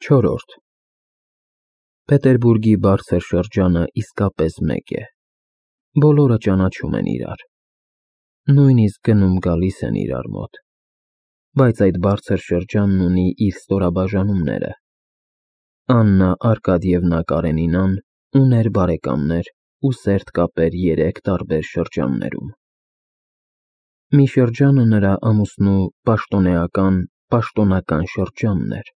Չորրորդ Պետերբուրգի բարձր շրջանը իսկապես մեկ է, բոլորը ճանաչում են իրար, նույնիսկ գնում-գալիս են իրար մոտ, բայց այդ բարձր շրջանն ունի իր ստորաբաժանումները։ Աննա Արկադիևնա Կարենինան ուներ բարեկամներ ու սերտ կապեր երեք տարբեր շրջաններում։ Մի շրջանը նրա ամուսնու պաշտոնական շրջանն էր,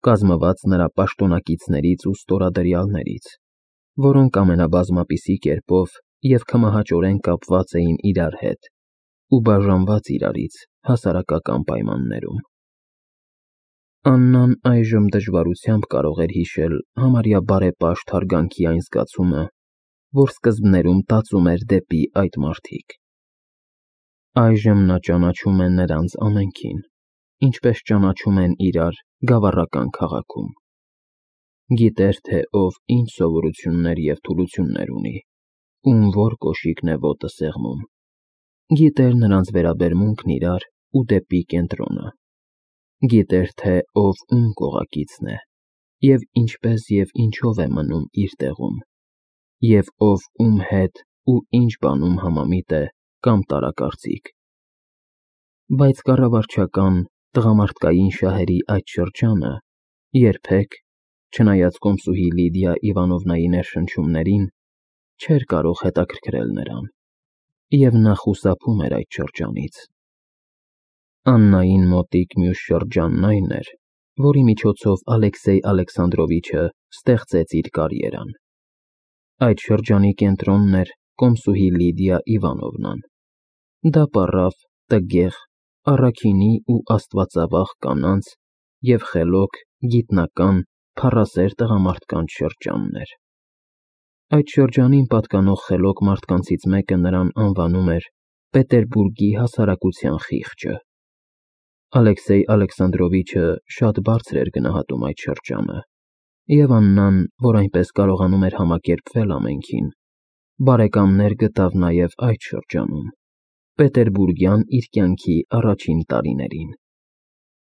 կազմված նրա պաշտոնակիցներից ու ստորադրյալներից, որոնք ամենաբազմապիսի կերպով և քմահաճորեն կապված էին իրար հետ ու բաժանված իրարից հասարակական պայմաններում։ Աննան այժմ դժվարությամբ կարող էր հիշել համարյա բարեպաշտ հարգանքի այն զգացումը, որ սկզբներում տածում էր դեպի այդ մարդիկ։ Այժմ նա ճանաչում է նրանց ամենքին, ինչպես ճանաչում են իրար գավառական քաղաքում։ Գիտեր, թե ով ինչ սովորություններ և թուլություններ ունի, ում որ կոշիկն է ոտը սեղմում։ Գիտեր նրանց վերաբերմունքն իրար ու դեպի կենտրոնը։ Գիտեր, թե ով ում կողակիցն է, և ինչպես և ինչով է մնում իր տեղում, և ով ում հետ ու ինչ բանում համամիտ է կամ տարակարծիք։ Բայց կառավարչական, տղամարդկային շահերի այդ շրջանը երբեք, չնայած կոմսուհի Լիդիա Իվանովնայի ներշնչումներին, չէր կարող հետաքրքրել նրան, և նա խուսափում էր այդ շրջանից։ Աննային մոտիկ մյուս շրջանն այն էր, որի միջոցով Ալեքսեյ Ալեքսանդրովիչը ստեղծեց իր կարիերան։ Այդ շրջանի կենտրոնն էր կոմսուհի Լիդիա Իվանովնան։ Դա պառավ, տգեղ, առաքինի ու աստվածավախ կանանց և խելոք, գիտնական, փառասեր տղամարդկանց շրջանն էր։ Այդ շրջանին պատկանող խելոք մարդկանցից մեկը նրան անվանում էր Պետերբուրգի հասարակության խիղճը։ Ալեքսեյ Ալեքսանդրովիչը շատ բարձր էր գնահատում այդ շրջանը, և Աննան, որ այնպես կարողանում էր համակերպվել ամենքին, բարեկամներ գտավ նաև այդ շրջանում, պետերբուրգյան իր կյանքի առաջին տարիներին։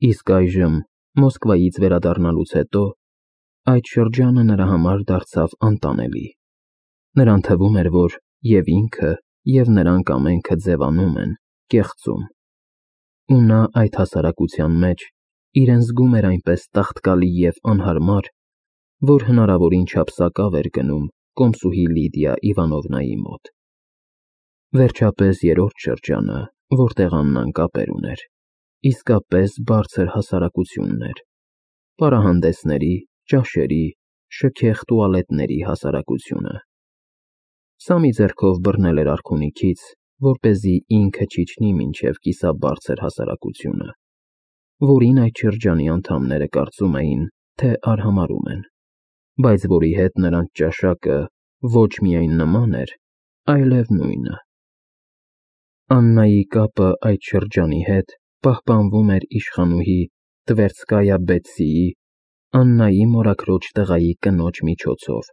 Իսկ այժմ, Մոսկվայից վերադառնալուց հետո, այդ շրջանը նրա համար դարձավ անտանելի։ Նրան թվում էր, որ և ինքը, և նրանք ամենքը ձևանում են, կեղծում, ու նա այդ հասարակության մեջ իրեն զգում էր այնպես տաղտկալի և անհարմար, որ հնարավորին չափ սակավ էր գնում կոմսուհի Լիդիա Իվանովնայի մոտ։ Վերջապես երրորդ շրջանը, որտեղ Աննան կապեր ուներ, իսկապես բարձր հասարակությունն էր, պարահանդեսների, ճաշերի, շքեղ տուալետների հասարակությունը։ Սամի ձեռքով բռնել էր արքունիքից, որպեսզի ինքը չիջնի մինչև կիսաբարձր հասարակությունը, որին այդ շրջանի անդամները կարծում էին, թե արհամարհում են, բայց որի հետ նրանց ճաշակը ոչ միայն նման էր, այլև նույնը։ Աննայի կապը այդ շրջանի հետ պահպանվում էր իշխանուհի Տվերցկայա Բետսիի, Աննայի մորաքրոջ տղայի կնոջ միջոցով,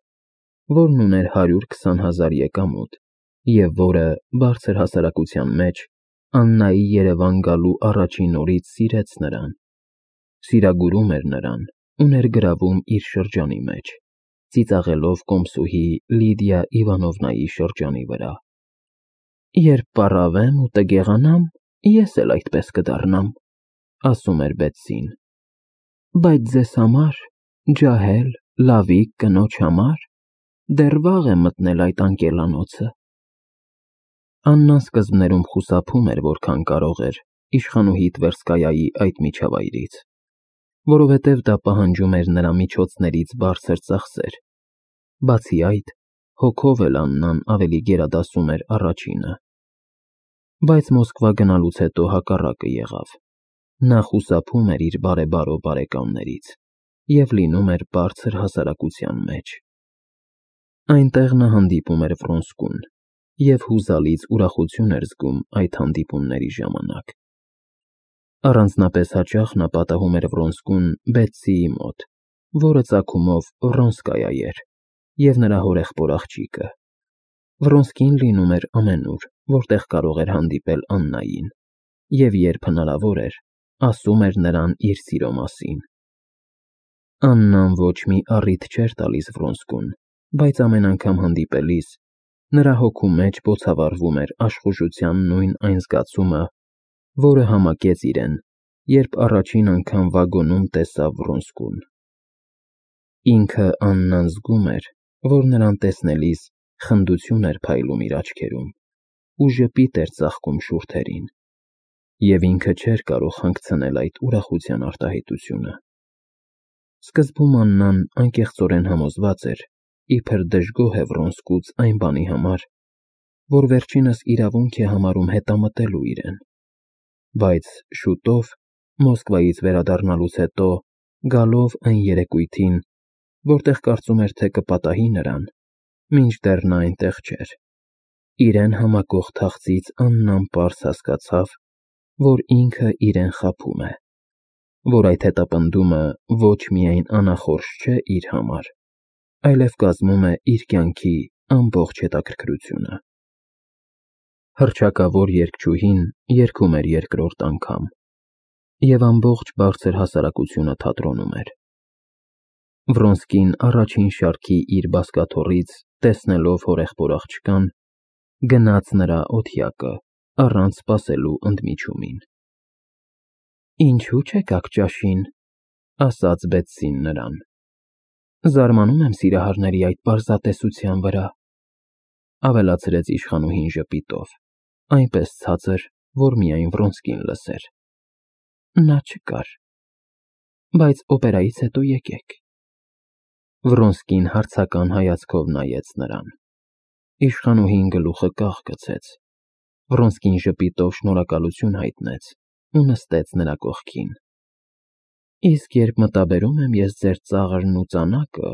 որն ուներ 120,000 եկամուտ և որը բարձր հասարակության մեջ Աննայի Երևան գալու առաջին օրից սիրեց նրան, սիրագուրում էր նրան ու ներգրավում իր շրջանի մեջ, ծիծաղելով կոմսուհի Լիդիա Իվանովնայի շրջանի վրա։ «Երբ պառավեմ ու տգեղանամ, ես էլ այդպես կդառնամ», ասում էր Բետսին, «բայց ձեզ համար, ջահել, լավիկ կնոջ համար, դեռ վաղ է մտնել այդ անկելանոցը»։ Աննան սկզբներում խուսափում էր որքան կարող էր իշխանուհի Տվերսկայայի այդ միջավայրից, որովհետև դա պահանջում էր նրա միջոցներից բարձր ծախսեր։ Բացի այդ, հոգով էլ Աննան ավելի գերադասում էր առաջինը։ Բայց Մոսկվա գնալուց հետո հակառակը եղավ։ Նա խուսափում էր իր բարեբարո բարեկամներից և լինում էր բարձր հասարակության մեջ։ Այնտեղ նա հանդիպում էր Վրոնսկուն և հուզալից ուրախություն էր զգում այդ հանդիպումների ժամանակ։ Առանձնապես հաճախ նա պատահում էր Վրոնսկուն Բետսիի մոտ, որը ծագումով Վրոնսկայա էր, և նրա հորեղբոր աղջիկը։ Վրոնսկին լինում էր ամենուր, որտեղ կարող էր հանդիպել Աննային, և երբ հնարավոր էր, ասում էր նրան իր սիրո մասին։ Աննան ոչ մի առիթ չէր տալիս Վրոնսկուն, բայց ամեն անգամ հանդիպելիս նրա հոգու մեջ բոցավառվում էր աշխուժության նույն այն զգացումը, որը համակեց իրեն, երբ առաջին անգամ վագոնում տեսավ Վրոնսկուն։ Ինքը Աննան զգում էր, որ նրան տեսնելիս խնդություն էր փայլում իր աչքերում ու ժպիտ էր ծաղկում շուրթերին, և ինքը չէր կարող հանգցնել այդ ուրախության արտահայտությունը։ Սկզբում Աննան անկեղծորեն համոզված էր, իբր դժգոհ է Վրոնսկուց այն բանի համար, որ վերջինս իրավունք է համարում հետամտելու իրեն, բայց շուտով, Մոսկվայից վերադառնալուց հետո, գալով այն երեկույթին, որտեղ կարծում էր, թե կպատահի նրան, մինչդեռ նա այնտեղ չէր, իրեն համակող թախծից Աննան պարզ հասկացավ, որ ինքը իրեն խաբում է, որ այդ հետապնդումը ոչ միայն անախորժ չէ իր համար, այլև կազմում է իր կյանքի ամբողջ հետաքրքրությունը։ Հռչակավոր երգչուհին երգում էր երկրորդ անգամ, և ամբողջ բարձր հասարակությունը թատրոնում էր։ Վրոնսկին առաջին շարքի իր բազկաթոռից, տեսնելով հորեղբոր աղջկան, գնաց նրա օթյակը, առանց սպասելու ընդմիջումին։ «Ինչու չեկաք ճաշին», ասաց Բետսին նրան։ «Զարմանում եմ սիրահարների այդ պարզատեսության վրա», ավելացրեց իշխանուհին ժպիտով, այնպես ցածր, որ միայն Վրոնսկին լսեր։ «Նա չկար, բայց օպերայից հետո եկեք»։ Վրոնսկին հարցական հայացքով նայեց նրան։ Իշխանուհին գլուխը կաղ գցեց։ Վրոնսկին ժպիտով շնորհակալություն հայտնեց ու նստեց նրա կողքին։ «Իսկ երբ մտաբերում եմ ես ձեր ծաղրն ու ծանակը»,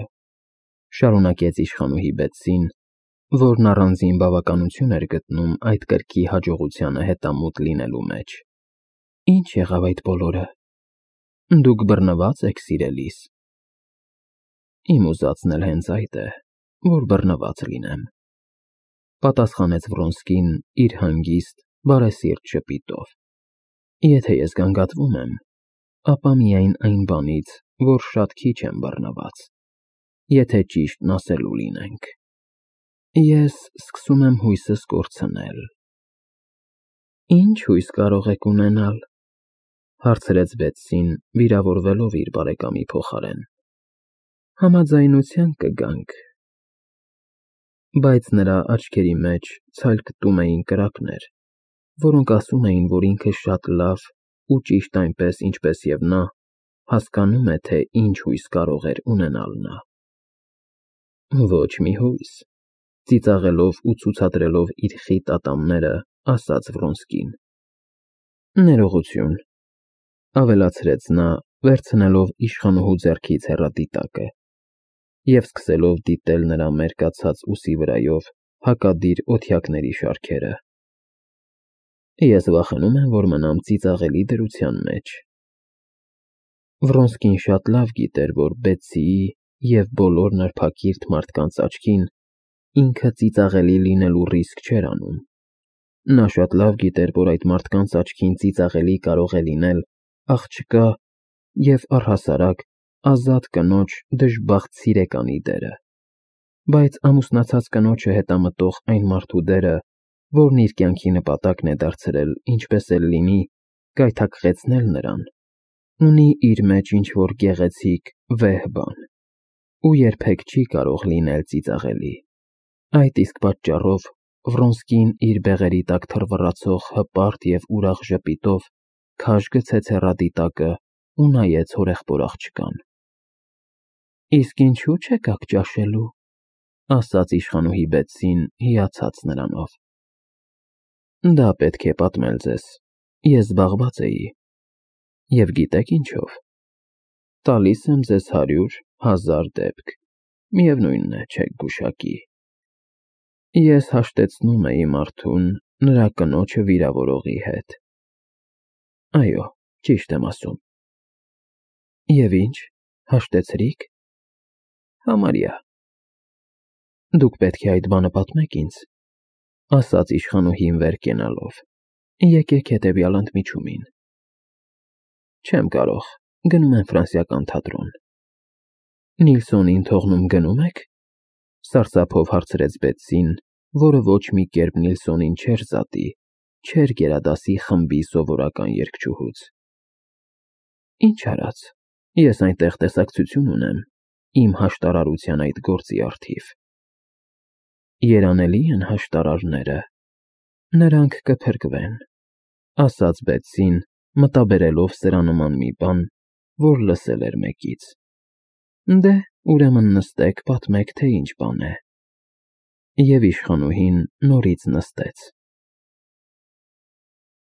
շարունակեց իշխանուհի Բետսին, որն առանձին բավականություն էր գտնում այդ կրքի հաջողությանը հետամուտ լինելու մեջ, «ինչ եղավ այդ բոլորը։ Դուք բռնվա՞ծ եք սիրելիս»։ «Իմ ուզածն էլ հենց այդ է, որ բռնված լինեմ», պատասխանեց Վրոնսկին իր հանգիստ, բարեսիրտ ժպիտով։ «Եթե ես գանգատվում եմ, ապա միայն այն բանից, որ շատ քիչ եմ բռնված, եթե ճիշտն ասելու լինենք։ Ես սկսում եմ հույսս կորցնել»։ «Ինչ հույս կարող եք ունենալ», հարցրեց Բետսին, վիրավորվելով իր բարեկամի փոխարեն։ «Համաձայնության կգանք»։ Բայց նրա աչքերի մեջ ցալկտում էին կրակներ, որոնք ասում էին, որ ինքը շատ լավ ու ճիշտ այնպես, ինչպես և նա, հասկանում է, թե ինչ հույս կարող էր ունենալ նա։ «Ոչ մի հույս», ծիծաղելով ու ցուցադրելով իր խիտ ատամները, ասաց Վրոնսկին։ «Ներողություն», ավելացրեց նա, վերցնելով իշխանուհու ձեռքից հեռադիտակը և սկսելով դիտել նրա մերկացած ուսի վրայով հակադիր օթյակների շարքերը։ «Ես վախենում եմ, որ մնամ ծիծաղելի դրության մեջ»։ Վրոնսկին շատ լավ գիտեր, որ Բետսիի և բոլոր նրբակիրթ մարդկանց աչքին ինքը ծիծաղելի լինելու ռիսկ չէր անում։ Նա շատ լավ գիտեր, որ այդ մարդկանց աչքին ծիծաղելի կարող է լինել աղջկա և առհասարակ ազատ կնոջ դժբախտ սիրեկանի դերը, բայց ամուսնացած կնոջը հետամտող այն մարդու դերը, որն իր կյանքի նպատակն է դարձրել ինչպես էլ լինի գայթակղեցնել նրան, ունի իր մեջ ինչ-որ գեղեցիկ, վեհ բան, ու երբեք չի կարող լինել ծիծաղելի։ Այդ իսկ պատճառով Վրոնսկին իր բեղերի տակ թռվռացող հպարտ և ուրախ ժպիտով քաշ գցեց հեռադիտակը ու նայեց հորեղբոր աղջկան։ «Իսկ ինչու չեկաք ճաշելու», ասաց իշխանուհի Բետսին, հիացած նրանով։ «Դա պետք է պատմել ձեզ, ես զբաղված էի։ Եվ գիտեք ինչով։ Տալիս եմ ձեզ 100,000 դեպք, միևնույն է, չեք գուշակի։ Ես հաշտեցնում էի մարդուն նրա կնոջը վիրավորողի հետ։ Այո, ճիշտ եմ ասում։ Եվ ինչ, հաշտեցրի՞ք։ Համարյա։ Դուք պետք է այդ բանը պատմեք ինձ, ասաց իշխանուհին վեր կենալով։ Եկեք հետևյալ ընդմիջումին։ Չեմ կարող, գնում եմ ֆրանսիական թատրոն։ Նիլսոնին թողնում գնում եք, սարսափով հարցրեց Բեթսին, որը ոչ մի կերպ Նիլսոնին չէր զատի, չէր գերադասի խմբի սովորական երգչուհուց։ Ինչ արած, ես այնտեղ տեսակցություն ունեմ իմ հաշտարարության այդ գործի առթիվ։ Երանելի են հաշտարարները, նրանք կփրկվեն, ասաց Բեթսին, մտաբերելով սրանման մի բան, որ լսել էր մեկից։ Դե, ուրեմն նստեք, պատմեք, թե ինչ բան է։ Եվ իշխանուհին նորից նստեց։